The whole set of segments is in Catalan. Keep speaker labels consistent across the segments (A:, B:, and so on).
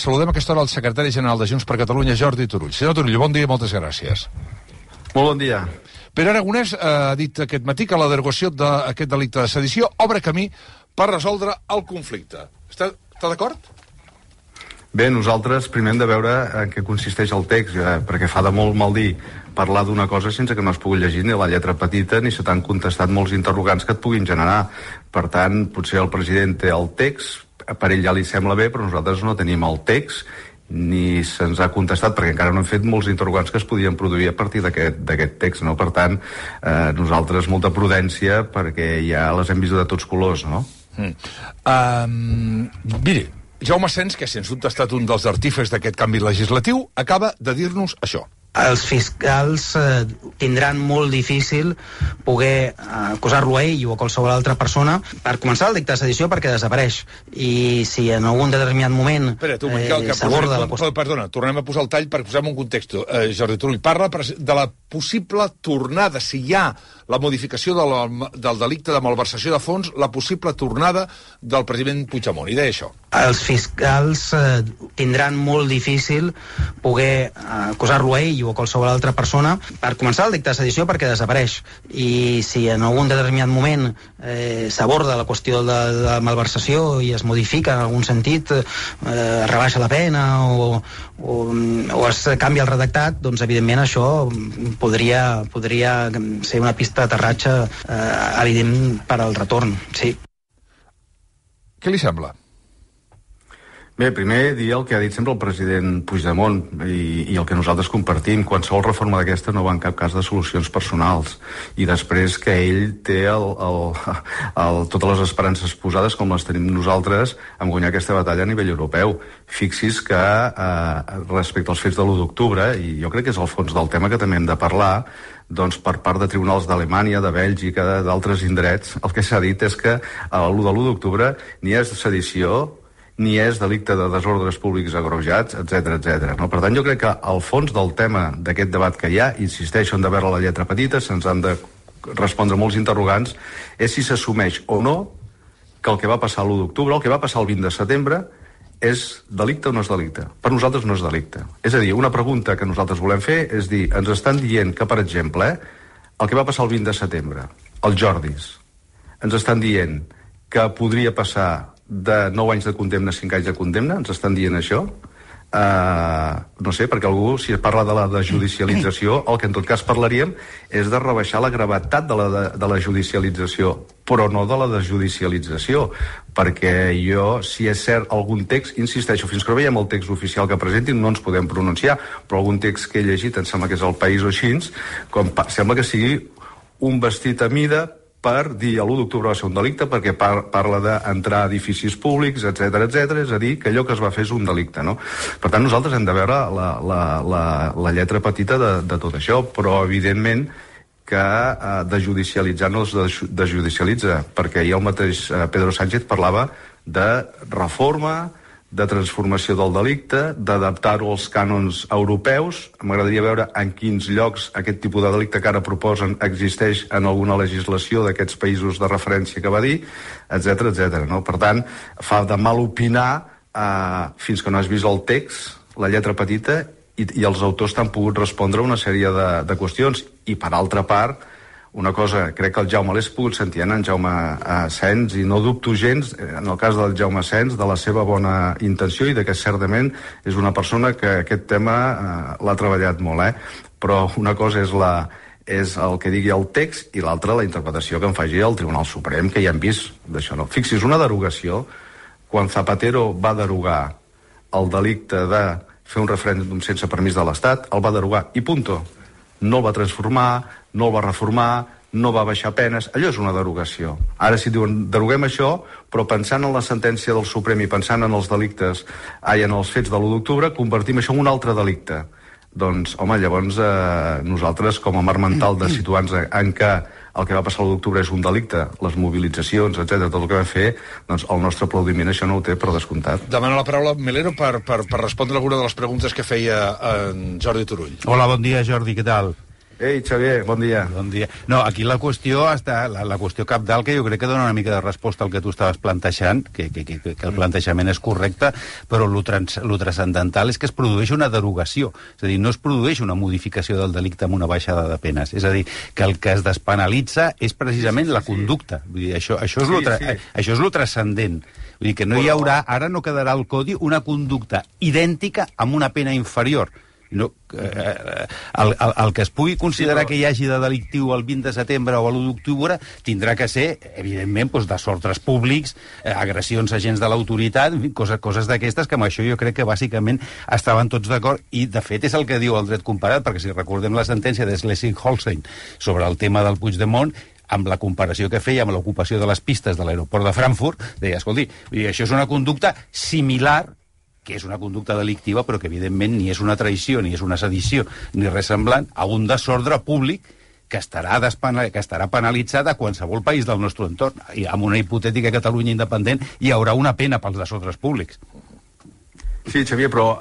A: Saludem a aquesta hora el secretari general de Junts per Catalunya, Jordi Turull. Senyor Turull, bon dia i moltes gràcies.
B: Molt bon dia.
A: Pere Aragonès ha dit aquest matí que la derogació d'aquest delicte de sedició obre camí per resoldre el conflicte. Està d'acord?
B: Bé, nosaltres primer hem de veure en què consisteix el text, perquè fa de molt mal dir parlar d'una cosa sense que no es pugui llegir ni la lletra petita ni se t'han contestat molts interrogants que et puguin generar. Per tant, potser el president té el text, per ell ja li sembla bé, però nosaltres no tenim el text ni se'ns ha contestat, perquè encara no hem fet molts interrogants que es podien produir a partir d'aquest text, no? Per tant, nosaltres molta prudència, perquè ja les hem vist de tots colors, no?
A: Mire, Jaume Sens, que sens dubte ha estat un dels artífexs d'aquest canvi legislatiu, acaba de dir-nos això.
C: Els fiscals tindran molt difícil poder acusar-lo a ell o a qualsevol altra persona per començar el delicte de sedició, perquè desapareix. I si en algun determinat moment s'aborda la qüestió...
A: Perdona, tornem a posar el tall per posar-me un context. Jordi Turull parla de la possible tornada, si hi ha la modificació del delicte de malversació de fons, la possible tornada del president Puigdemont. I deia això.
C: Els fiscals tindran molt difícil poder acusar-lo a ell o a qualsevol altra persona per començar el delicte de sedició, perquè desapareix. I si en algun determinat moment s'aborda la qüestió de la malversació i es modifica en algun sentit, es rebaixa la pena o es canvia el redactat, doncs evidentment això podria ser una pista d'aterratge evident per al retorn, sí.
A: Què li sembla?
B: Bé, primer dir el que ha dit sempre el president Puigdemont i el que nosaltres compartim. Qualsevol reforma d'aquesta no va en cap cas de solucions personals. I després que ell té totes les esperances posades, com les tenim nosaltres, en guanyar aquesta batalla a nivell europeu. Fixi's que respecte als fets de l'1 d'octubre, i jo crec que és el fons del tema que també hem de parlar, doncs per part de tribunals d'Alemanya, de Bèlgica, d'altres indrets, el que s'ha dit és que l'1 de l'1 d'octubre ni és sedició, ni és delicte de desordres públics agreujats, etc. No? Per tant, jo crec que al fons del tema d'aquest debat que hi ha, insisteixo, hem de veure la lletra petita, se'ns han de respondre molts interrogants, és si s'assumeix o no que el que va passar l'1 d'octubre, el que va passar el 20 de setembre, és delicte o no és delicte? Per nosaltres no és delicte. És a dir, una pregunta que nosaltres volem fer és dir, ens estan dient que, per exemple, el que va passar el 20 de setembre, els Jordis, ens estan dient que podria passar de 9 anys de condemna a 5 anys de condemna, ens estan dient això? No sé, perquè algú, si es parla de la desjudicialització, el que en tot cas parlaríem és de rebaixar la gravetat de la judicialització, però no de la desjudicialització, perquè si és cert algun text, insisteixo, fins que no veiem el text oficial que presentin no ens podem pronunciar, però algun text que he llegit, em sembla que és El País o així, sembla que sigui un vestit a mida per dir l'1 d'octubre va ser un delicte perquè parla d'entrar a edificis públics, etc. És a dir, que allò que es va fer és un delicte, no? Per tant, nosaltres hem de veure la lletra petita de tot això, però evidentment que desjudicialitzar no es desjudicialitza, perquè ahir el mateix Pedro Sánchez parlava de reforma, de transformació del delicte, d'adaptar-ho als cànons europeus. M'agradaria veure en quins llocs aquest tipus de delicte que ara proposen existeix en alguna legislació d'aquests països de referència que va dir, etc. No? Per tant, fa de mal opinar fins que no has vist el text, la lletra petita, i els autors t'han pogut respondre una sèrie de qüestions. I, per altra part, una cosa, crec que el Jaume l'és pogut sentir en Jaume Sens, i no dubto gens, en el cas del Jaume Sens, de la seva bona intenció i de que certament és una persona que aquest tema l'ha treballat molt, però una cosa és el que digui el text i l'altra la interpretació que en faci el Tribunal Suprem, que ja hem vist d'això. No? Fixi's, una derogació, quan Zapatero va derogar el delicte de fer un referèndum sense permís de l'Estat, el va derogar i punto. No el va transformar, no el va reformar, no va baixar penes, allò és una derogació. Ara si diuen, deroguem això, però pensant en la sentència del Suprem i pensant en els delictes, en els fets de l'1 d'octubre, convertim això en un altre delicte. Doncs, home, llavors nosaltres, com a marc mental de situar-nos en què el que va passar l'1 d'octubre és un delicte, les mobilitzacions, etc., tot el que vam fer, doncs el nostre aplaudiment això no ho té per descomptat.
A: Demano la paraula Melero per respondre alguna de les preguntes que feia en Jordi Turull.
D: Hola, bon dia, Jordi, què tal?
B: Ei, Xavier, bon dia.
D: Bon dia. No, aquí la qüestió la qüestió cabdal, que jo crec que dona una mica de resposta al que tu estaves plantejant, que el plantejament és correcte, però lo transcendental és que es produeix una derogació. És a dir, no es produeix una modificació del delicte amb una baixada de penes. És a dir, que el que es despenalitza és precisament la conducta. Vull dir, això és lo transcendent. Vull dir que no hi haurà, ara no quedarà al codi una conducta idèntica amb una pena inferior. No, el que es pugui considerar que hi hagi de delictiu el 20 de setembre o l'1 d'octubre tindrà que ser, evidentment, desordres públics, agressions a agents de l'autoritat, coses d'aquestes, que amb això jo crec que bàsicament estaven tots d'acord, i de fet és el que diu el dret comparat, perquè si recordem la sentència de Schleswig-Holstein sobre el tema del Puigdemont, amb la comparació que feia amb l'ocupació de les pistes de l'aeroport de Frankfurt, deia, escolti, això és una conducta similar, que és una conducta delictiva, però que evidentment ni és una traïció, ni és una sedició, ni res semblant a un desordre públic que estarà penalitzat a qualsevol país del nostre entorn. I amb una hipotètica Catalunya independent hi haurà una pena pels desordres públics.
B: Sí, Xavier, però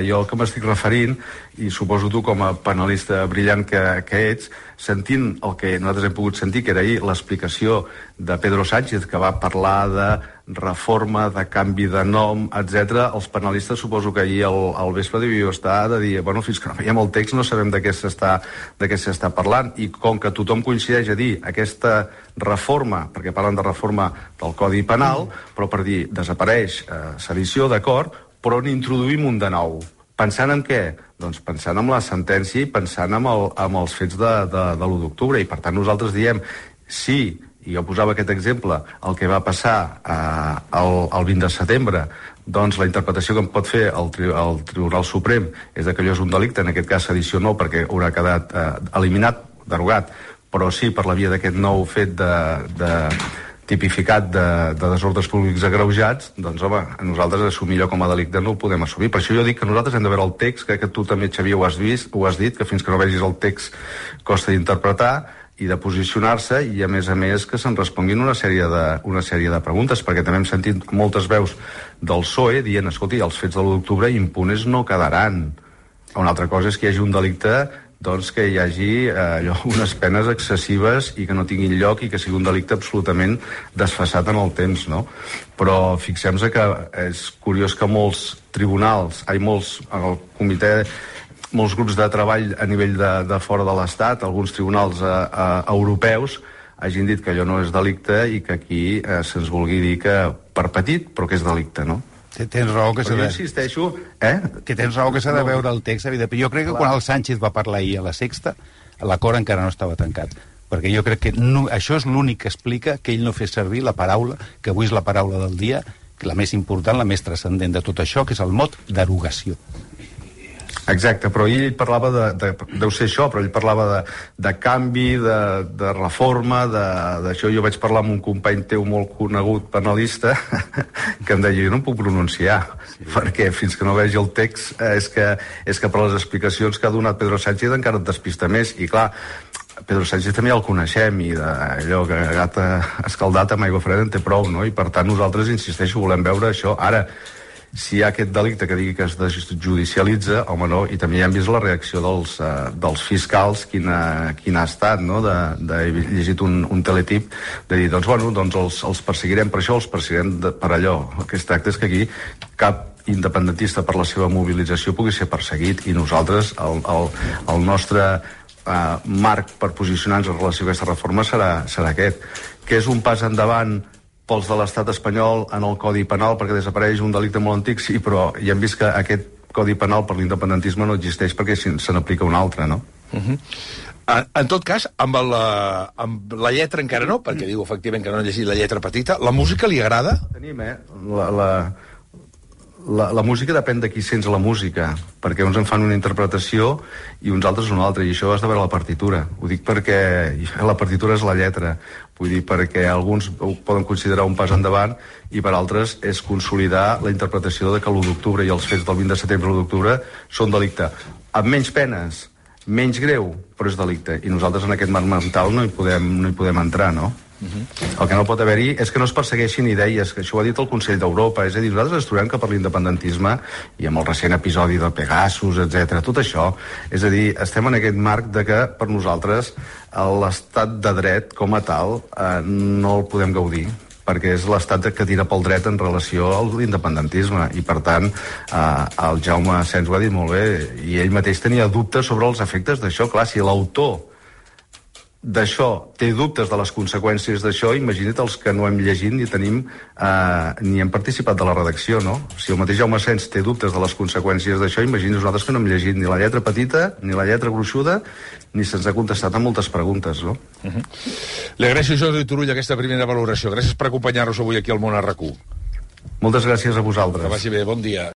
B: jo el que m'estic referint, i suposo tu com a penalista brillant que ets, sentint el que nosaltres hem pogut sentir, que era ahir l'explicació de Pedro Sánchez, que va parlar de reforma, de canvi de nom, etc. Els penalistes suposo que ahir al vespre devíeu estar de dir, bueno, fins que no veiem el text no sabem de què s'està parlant, i com que tothom coincideix a dir aquesta reforma, perquè parlen de reforma del Codi Penal, però per dir desapareix sedició, d'acord, però n'introduïm un de nou. Pensant en què? Doncs pensant en la sentència i pensant en els fets de l'1 d'octubre. I per tant nosaltres diem, sí, i jo posava aquest exemple, el que va passar el 20 de setembre, doncs la interpretació que en pot fer el Tribunal Suprem és que allò és un delicte, en aquest cas sedició no, perquè haurà quedat eliminat, derogat, però sí per la via d'aquest nou fet tipificat de desordres públics agreujats, doncs, home, a nosaltres assumir allò com a delicte no ho podem assumir. Per això jo dic que nosaltres hem de veure el text, crec que tu també, Xavier, ho has dit, que fins que no vegis el text costa d'interpretar i de posicionar-se, i a més que se'n responguin una sèrie de preguntes, perquè també hem sentit moltes veus del PSOE dient, escolti, els fets de l'1 d'octubre impunes no quedaran. Una altra cosa és que hi hagi un delicte, doncs que hi hagi unes penes excessives i que no tinguin lloc i que sigui un delicte absolutament desfasat en el temps, no? Però fixem-nos que és curiós que molts tribunals, el comitè, molts grups de treball a nivell de fora de l'Estat, alguns tribunals europeus, hagin dit que allò no és delicte i que aquí se'ns vulgui dir que per petit, però que és delicte, no?
D: Tens raó que s'ha de...
B: insisteixo,
D: Que tens raó que s'ha de veure el text, evidentment. Jo crec que quan el Sánchez va parlar ahir a la Sexta, l'acord encara no estava tancat. Perquè jo crec que això és l'únic que explica que ell no fes servir la paraula, que avui és la paraula del dia, la més important, la més transcendent de tot això, que és el mot derogació.
B: Exacte, però ell parlava deu ser això, però ell parlava de canvi, de reforma, d'això. Jo vaig parlar amb un company teu molt conegut penalista que em deia, jo no em puc pronunciar, perquè fins que no vegi el text és que per les explicacions que ha donat Pedro Sánchez encara et despista més. I clar, Pedro Sánchez també el coneixem, i allò que gat escaldat amb aigua freda en té prou, no? I per tant nosaltres, insisteixo, volem veure això. Ara, si hi ha aquest delicte que digui que es desjudicialitza, home, no, i també ja hem vist la reacció dels fiscals, quina ha estat, no? He llegit un teletip de dir, doncs, bueno, doncs els perseguirem per això, els perseguirem per allò. El que es tracta és que aquí cap independentista per la seva mobilització pugui ser perseguit, i nosaltres, el nostre marc per posicionar-nos en relació a aquesta reforma serà aquest, que és un pas endavant pels de l'estat espanyol en el Codi Penal perquè desapareix un delicte molt antic, sí, però ja hem vist que aquest Codi Penal per l'independentisme no existeix perquè se n'aplica un altre, no?
A: En tot cas, amb la lletra encara no, perquè diu efectivament que no ha llegit la lletra petita. La música li agrada?
B: Tenim, la música depèn de qui sents la música, perquè uns en fan una interpretació i uns altres una altra, i això has de veure la partitura. Ho dic perquè la partitura és la lletra, vull dir, perquè alguns ho poden considerar un pas endavant i per altres és consolidar la interpretació de que l'1 d'octubre i els fets del 20 de setembre i l'1 d'octubre són delicte. Amb menys penes, menys greu, però és delicte, i nosaltres en aquest marc mental no hi podem entrar, no? El que no pot haver-hi és que no es persegueixin idees, que això ho ha dit el Consell d'Europa, és a dir, nosaltres ens trobem que per l'independentisme, i amb el recent episodi de Pegasus, etc, tot això, és a dir, estem en aquest marc de que per nosaltres l'estat de dret com a tal no el podem gaudir, perquè és l'estat que tira pel dret en relació a l'independentisme, i per tant el Jaume Asens ho ha dit molt bé, i ell mateix tenia dubtes sobre els efectes d'això. Clar, si l'autor d'això té dubtes de les conseqüències d'això, imagina't els que no hem llegit ni hem participat de la redacció, no? Si el mateix Jaume Asens té dubtes de les conseqüències d'això, imagina't nosaltres que no hem llegit ni la lletra petita ni la lletra gruixuda, ni se'ns ha contestat a moltes preguntes, no?
A: Li agraeixo, Jordi Turull, aquesta primera valoració. Gràcies per acompanyar-nos avui aquí al Món a RAC1.
B: Moltes gràcies a vosaltres.
A: Que vagi bé, bon dia.